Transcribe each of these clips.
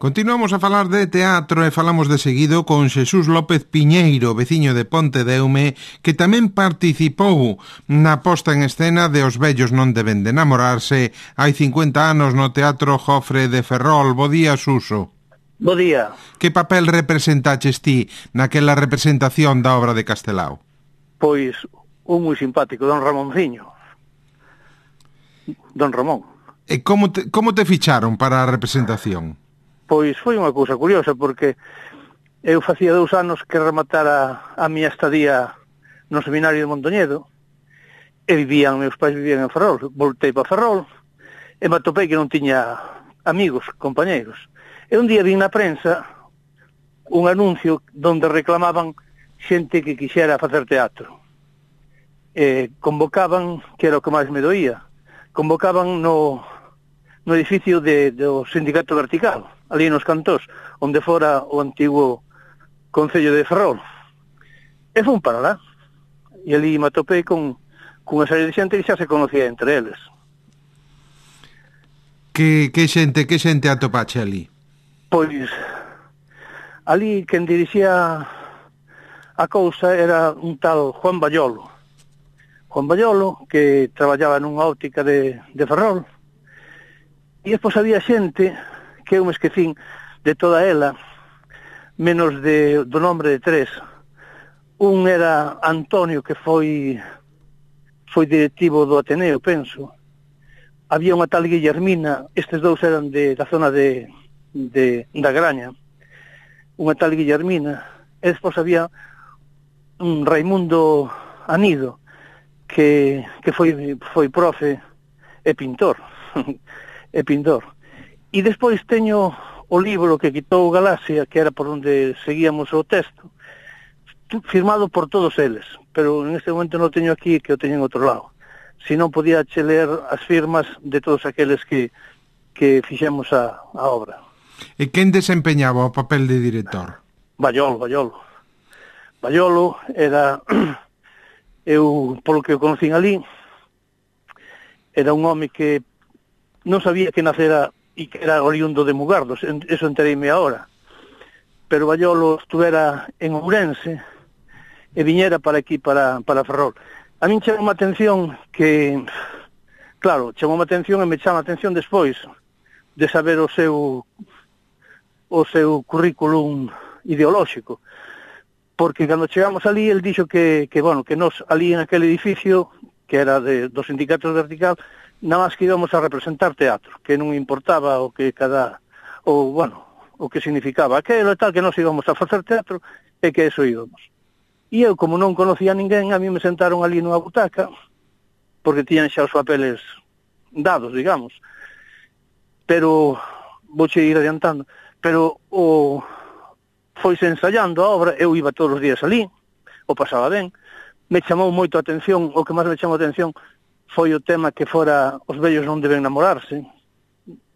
Continuamos a falar de teatro e falamos de seguido con Xesús López Piñeiro, veciño de Pontedeume, que tamén participou na posta en escena de Os vellos non deben de namorarse hai 50 anos no Teatro Jofre de Ferrol. Bo día, Suso. Bo día. Que papel representaches ti naquela representación da obra de Castelao? Pois un moi simpático, don Ramonciño. Don Ramón. E como te ficharon para a representación? Pois foi unha cousa curiosa, porque eu facía 2 anos que rematara a miña estadía no seminario de Mondoñedo, e meus pais vivían en Ferrol. Voltei para Ferrol, e me atopei que non tiña amigos, compañeiros. E un día vin na prensa un anuncio onde reclamaban xente que quixera facer teatro. Convocaban, que era o que máis me doía, convocaban no edificio do Sindicato Vertical, ali nos Cantós, onde fora o antigo Concello de Ferrol. E fun para lá. E ali me atopei con unha serie de xente que xa se conocía entre eles. Que xente atopache ali? Pois, ali quen dirixía a cousa era un tal Juan Ballolo. Juan Ballolo, que traballaba nunha óptica de Ferrol. E despois había xente que eu me esquecín de toda ela, menos do nombre de 3. Un era Antonio, que foi directivo do Ateneo, penso. Había unha tal Guillermina, estes 2 eran da zona da Graña, unha tal Guillermina, e despois había un Raimundo Anido, que foi profe e pintor, E despois teño o libro que quitou Galaxia, que era por onde seguíamos o texto, firmado por todos eles, pero en este momento non teño aquí, que o teño en outro lado. Se non podía che ler as firmas de todos aqueles que fixemos a obra. E quen desempeñaba o papel de director? Ballolo era, eu, polo que o conocín ali, era un home que non sabía que nacera e que era oriundo de Mugardos, eso entereime agora. Pero Ballolo estuvera en Ourense e viñera para aquí, para Ferrol. A min chamou a atención que, claro, chamou a atención e me chama a atención despois de saber o seu currículum ideolóxico. Porque cando chegamos ali, el dixo que nos ali en aquel edificio, que era do Sindicato Vertical, nada máis que íbamos a representar teatro, que non importaba o que significaba aquelo e tal, que nos íbamos a facer teatro e que eso íbamos. E eu, como non conocía a ninguén, a mí me sentaron ali nunha butaca, porque tiñan xa os papeles dados, digamos. Pero, vouche ir adiantando, pero foise ensaiando a obra, eu iba todos os días ali, o pasaba ben, me chamou moito a atención, o que máis me chamou a atención foi o tema que fora Os vellos non deben namorarse,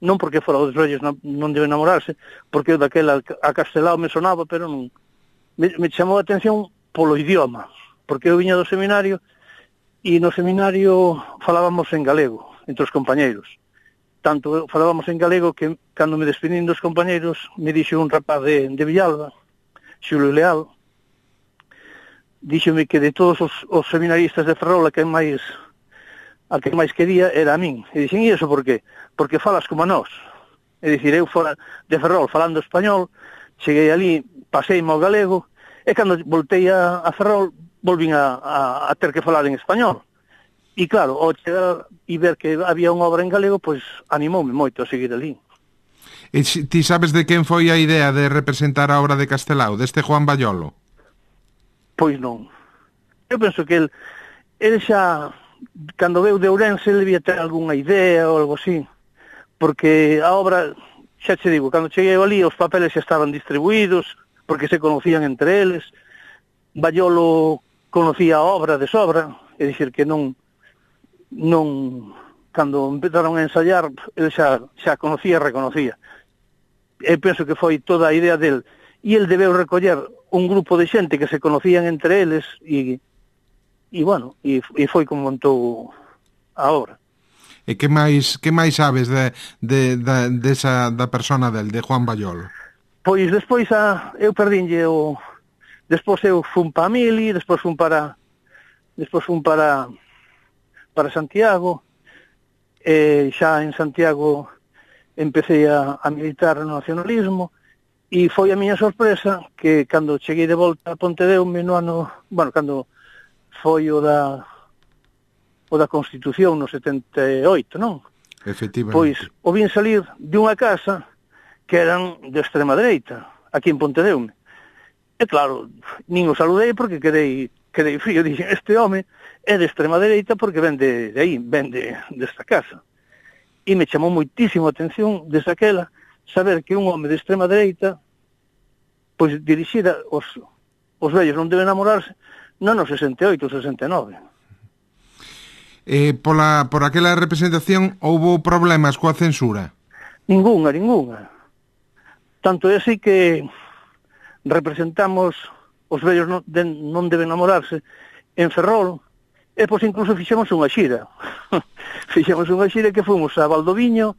non porque fora Os vellos non deben namorarse, porque eu daquela a Castelao me sonaba, pero non. Me chamou a atención polo idioma, porque eu viña do seminario, e no seminario falábamos en galego, entre os compañeiros. Tanto falábamos en galego que, cando me despedín dos compañeiros, me dixo un rapaz de Villalba, Xulio Leal, díxome que de todos os seminaristas de Ferrol, a que máis quería era a min. E dixen, e iso por qué? Porque falas como a nós. É dicir, eu fora de Ferrol falando español, cheguei ali, paseime ao galego, e cando voltei a Ferrol, volvín a ter que falar en español. E claro, ao chegar e ver que había unha obra en galego, pois animoume moito a seguir ali. E ti sabes de quen foi a idea de representar a obra de Castelao, deste Juan Ballolo? Pois non. Eu penso que el xa, cando veu de Ourense, ele debía ter algunha idea ou algo así, porque a obra, xa che digo, cando cheguei ali, os papeles xa estaban distribuídos, porque se conocían entre eles. Ballolo conocía a obra de sobra, é dicir, que non cando empezaron a ensayar, ele xa conocía e reconocía. Eu penso que foi toda a idea del, e el debeu recoller un grupo de xente que se conocían entre eles, e foi como montou a obra. E que máis sabes da persona del, de Juan Baiolo? Pois despois eu perdínlle o... Despois eu fun para Mili, despois fun para Santiago, e xa en Santiago empecé a militar no nacionalismo, e foi a miña sorpresa que cando cheguei de volta a Pontedeume no ano... Bueno, cando foi o da Constitución no 78, non? Efectivamente. Pois o vin salir de unha casa que eran de extrema dereita, aquí en Pontedeume. E claro, nin o saludei porque quedei frío. Dixen, este home é de extrema dereita porque ven de aí, ven desta casa. E me chamou moitísimo a atención desde aquela saber que un home de extrema dereita pois dirixira os vellos non deben namorarse non no 68 ou 69. Por aquela representación houbo problemas coa censura? Ninguna. Tanto é así que representamos os vellos non deben namorarse en Ferrol, e pois incluso fixemos unha xira. Fixemos unha xira que fomos a Valdoviño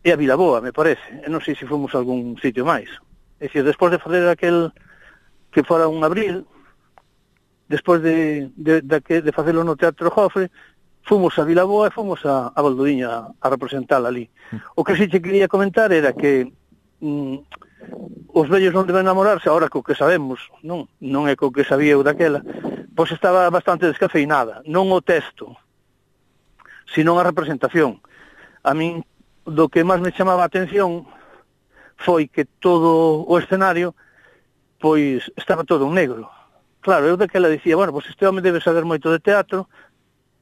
e a Vilaboa, me parece. E non sei se fomos a algún sitio máis. É dicir, despois de fazer aquel que fora un abril, despois de facelo no Teatro Jofre, fomos a Vilaboa e fomos a Valdoviño a representar ali. O que sí che quería comentar era que os vellos non deben namorarse, ahora co que sabemos, non é co que sabía eu daquela, pois estaba bastante descafeinada, non o texto, sino a representación. A min, do que máis me chamaba a atención foi que todo o escenario pois estaba todo en negro. Claro, eu daquela dicía, bueno, pois este home debe saber moito de teatro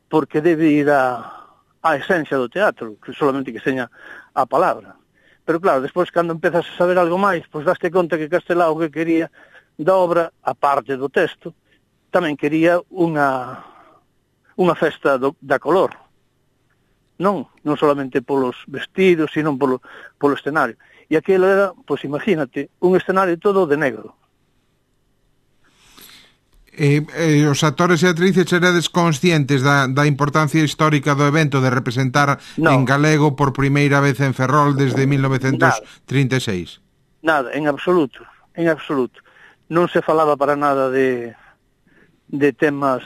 porque debe ir a esencia do teatro, que solamente que seña a palabra. Pero claro, despois cando empezas a saber algo máis, pois daste conta que Castelao que quería da obra, a parte do texto, tamén quería unha festa da color. Non solamente polos vestidos, sino polo escenario. E aquilo era, pois imagínate, un escenario todo de negro. Os actores e actrices eredes conscientes da importancia histórica do evento de representar en galego por primeira vez en Ferrol desde 1936? Nada, en absoluto. Non se falaba para nada de temas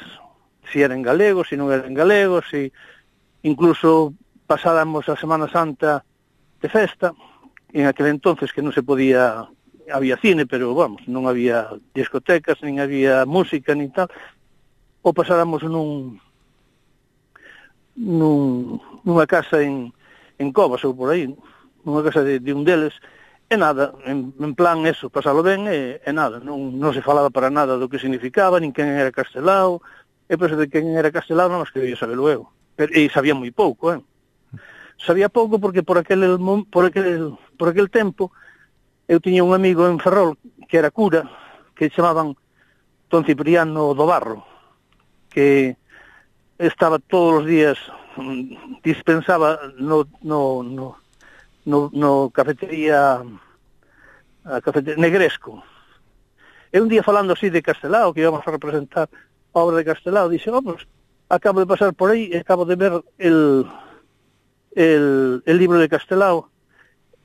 si eran galegos, si non eran galegos, si incluso pasáramos a Semana Santa de festa, en aquel entonces que non se podía... Había cine, pero, vamos, non había discotecas, nin había música, nin tal. O pasáramos nunha casa en Covas ou por aí, nunha casa de un deles, e nada, en plan eso, pasalo ben e nada, non se falaba para nada do que significaba, nin quen era Castelao, e pois de quen era Castelao non mas quería sabelo eu. E sabía moi pouco, Sabía pouco porque por aquel tempo eu tiña un amigo en Ferrol que era cura, que chamaban Don Cipriano do Barro, que estaba todos os días, dispensaba no cafetería Negresco. E un día falando así de Castelao, que íbamos a representar a obra de Castelao, dixe, pues, acabo de pasar por aí e acabo de ver el libro de Castelao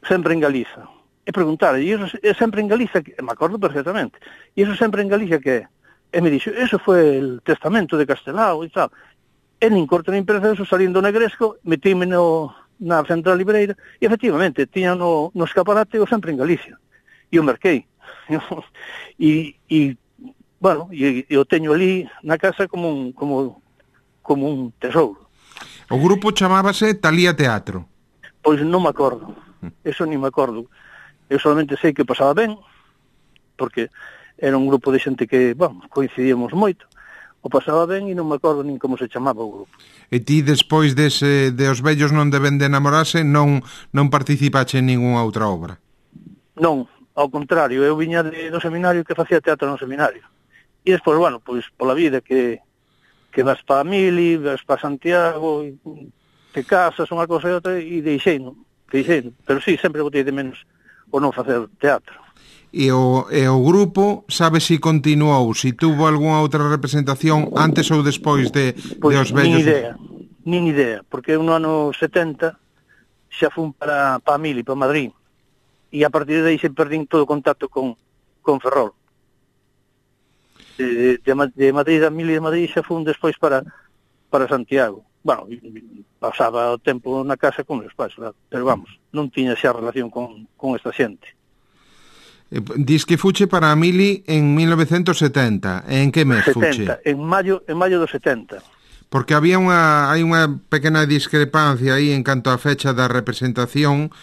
sempre en Galiza. E preguntar, e iso é sempre en Galiza, me acordo perfectamente, e iso sempre en Galiza que é? E me dixo, eso foi el testamento de Castelao e tal. E nin corto nin perezoso, salindo Negresco, metíme na central libreira, e efectivamente, tiña no escaparate o sempre en Galicia. E o merquei. Bueno, e o teño ali na casa como un tesouro. O grupo chamábase Talía Teatro. Pois non me acordo, eso nin me acordo. Eu solamente sei que pasaba ben, porque era un grupo de xente que, coincidíamos moito, o pasaba ben e non me acordo nin como se chamaba o grupo. E ti, despois de Os vellos non deben de namorarse, non participache en ningunha outra obra? Non, ao contrario, eu viña do seminario que facía teatro no seminario. E despois, pois pola vida que vas para Mili, vas para Santiago, te casas, unha cosa e outra, e deixei. Pero sí, sempre botei de menos o non facer teatro. E o grupo, sabe se continuou, se tuvo algunha outra representación antes ou despois de Os vellos? nin idea, porque no ano 70 xa fun para Mili, para Madrid, e a partir de aí se perdín todo o contacto con Ferrol. De Madrid, a Mili de Madrid, xa fun despois para Santiago. Bueno, pasaba o tempo na casa con meus pais, claro, pero vamos, non tiña xa relación con esta xente. Dis que fuche para a Mili en 1970. En que mes fuche? En maio do 70. Porque hai unha pequena discrepancia aí en canto á fecha da representación,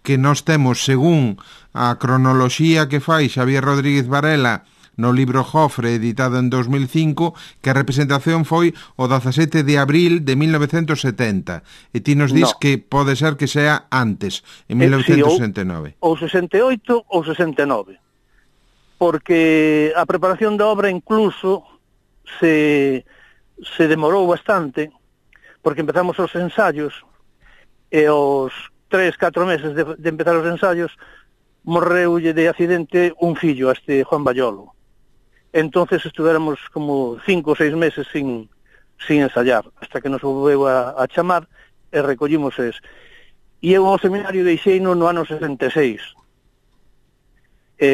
que nós temos, según a cronoloxía que fai Xavier Rodríguez Varela no libro Jofre, editado en 2005, que a representación foi o 17 de abril de 1970. E ti nos dis que pode ser que sea antes, en 1969. Ou 68 ou 69. Porque a preparación da obra incluso se demorou bastante, porque empezamos os ensaios, e os 3-4 meses de empezar os ensaios morreulle de accidente un fillo, Juan Bayolo. Entonces estuvéramos como 5 ou 6 meses sin ensayar, hasta que nos volveu a chamar e recollimos es. E eu ao seminario deixeino no ano 66.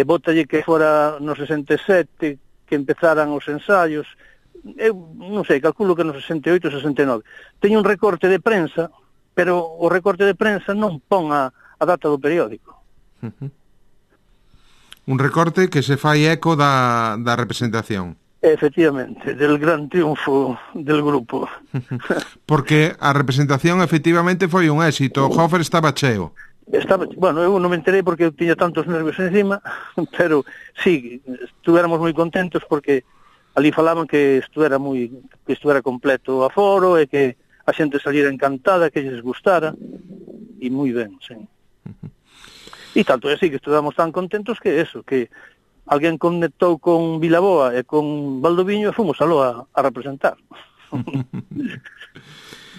Bótalle que fora no 67 que empezaran os ensaios. Eu non sei, calculo que no 68 ou 69. Teño un recorte de prensa, pero o recorte de prensa non pon a data do periódico. Un recorte que se fai eco da representación. Efectivamente, del gran triunfo del grupo. Porque a representación efectivamente foi un éxito, o Jofre estaba cheo. Bueno, eu non me enterei porque eu tiña tantos nervios encima, pero sí, estuvéramos moi contentos porque ali falaban que estuvera completo o aforo e que a xente saliera encantada, que lles gustara, e moi ben, sí. E tanto é así que estuvamos tan contentos que alguén conectou con Vilaboa e con Valdoviño e fomos aló a representar.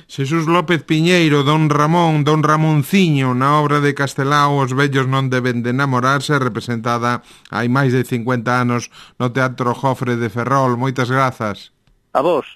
Xesús López Piñeiro, Don Ramonciño, na obra de Castelao Os vellos non deben de namorarse, representada hai máis de 50 anos no Teatro Jofre de Ferrol. Moitas grazas. A vos.